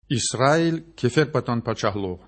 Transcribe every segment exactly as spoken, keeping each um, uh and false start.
Исраил— кеферпатан пачагьлугъ.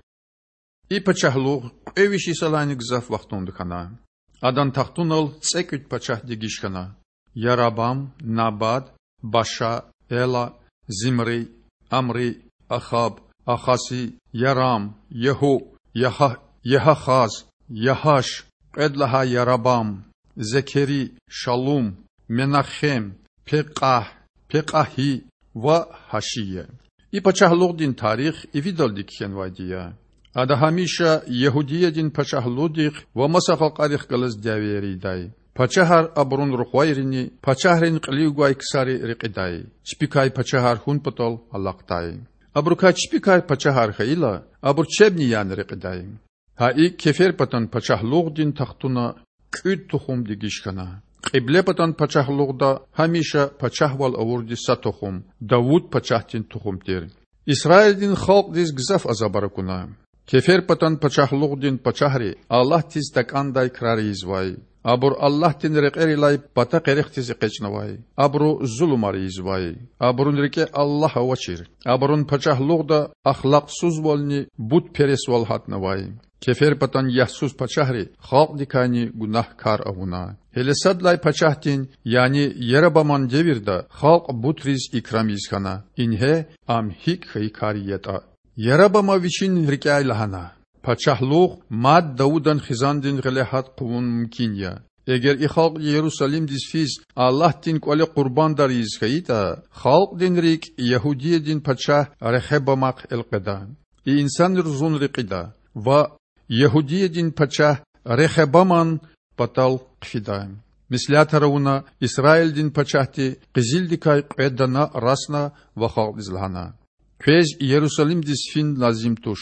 И пачагьлугъ кьве виш йисалайни гзаф вахтунда хьана. Адан тахтунал цІекІуьд пачагь дегиш хьана: Ярабам, Набад, Баша, Эла, Зимри, Амри, Ахаб, Ахази, Ярам, Ягьу, Ягьахаз, Ягьаш, кьвед лагьай Ярабам, Зекери, Шалум, Менахем, Пекьагь, Пекьагьи ва Гьашия. И пачагьлугъдин тарих ивидалди кхьенвайди я. Ада гьамиша Ягьудиядин пачагьлугъдихъ ва маса халкьарихъ галаз дявеяр ийидай. Пачагьар абурун рухвайрини пачагьрин кьилив гвай ксари рекьидай, чпикай пачагьар хьун патал алахъдай. Абурукай чпикай пачагьар хьайила, абур чебни яна рекьидай. Гьа икІ кеферпатан пачагьлугъдин тахтуна кІуьд тухум дегиш хьана. Кьиблепатан пачагьлугъда гьамиша пачагьвал авурди са тухум, Давуд пачагьдин тухум тир. Исраилдин халкьдиз гзаф азабар акуна. Кеферпатан пачагьлугъдин пачагьри Аллагьдиз такІандай крар ийизвай. Абур Аллагьдин рекьерилай пата къерехдиз экъечІнавай. Абуру зулумар ийизвай. Абурун рикІе Аллагь авачир. Абурун пачагьлугъда ахлакьсузвални бутпересвал гьатнавай. Кеферпатан ягьсуз пачагьри халкьдикайни гунагькар авуна. Гьеле сад лагьай пачагьдин, яни Ярабаман девирда халкь бутриз икрам ийиз хьана. Ингье ам гьикІ хьайи кар ятІа. Ярабама вичин рикІяй лагьана: Пачагьлугъ мад Давудан хизандин гъиле гьат хъувун мумкин я. Эгер и халкь Ярусалимдиз физ Аллагьдин кІвале къурбандар ийиз хьайитІа, халкьдин рикІ Ягьудиядин пачагь Рехабамахъ элкъведа. И инсанри зун рекьида ва Ягьудиядин пачагь Рехабаман патал хъфида. Меслятар авуна, Исраилдин пачагьди къизилдикай кьве дана расна ва халкьдиз лагьана: Квез Ярусалимдиз фин лазим туш.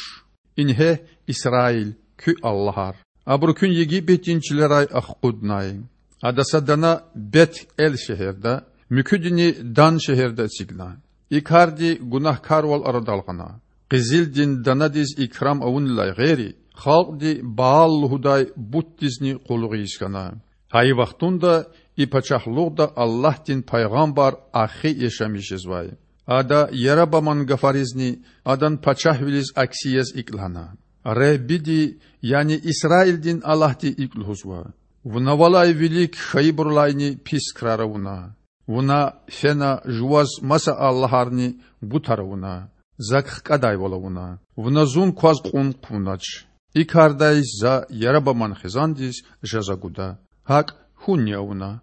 Ингье Исраил, куь аллагьар. Абуру куьн Египетдин чилерай ахкъуднай. Ада са дана Бет-Эл шегьерда, муькуьдини Дан шегьерда эцигна. И карди гунагькарвал арадал гъана. Къизилдин данадиз икрам авунилай гъейри, халкьди Баал лугьудай бутдизни къуллугъ ийиз хьана. Гьа и вахтунда и пачагьлугъда Аллагьдин пайгъамбар Ахи яшамиш жезвай. Ада Ярабаман гафаризни адан пачагьвилиз акси яз икІ лагьана: Худади, яни Исраилдин Аллагьди икІ лугьузва: Вуна валай вилик хьайибурулайни пис крар авуна. Вуна фена жуваз маса аллагьарни бутар авуна, Зак хкІадайвал авуна. Вуна Зун кваз кьун хъувунач. И кардай За Ярабаман хизандиз жаза гуда. ГьакІ хьунни авуна.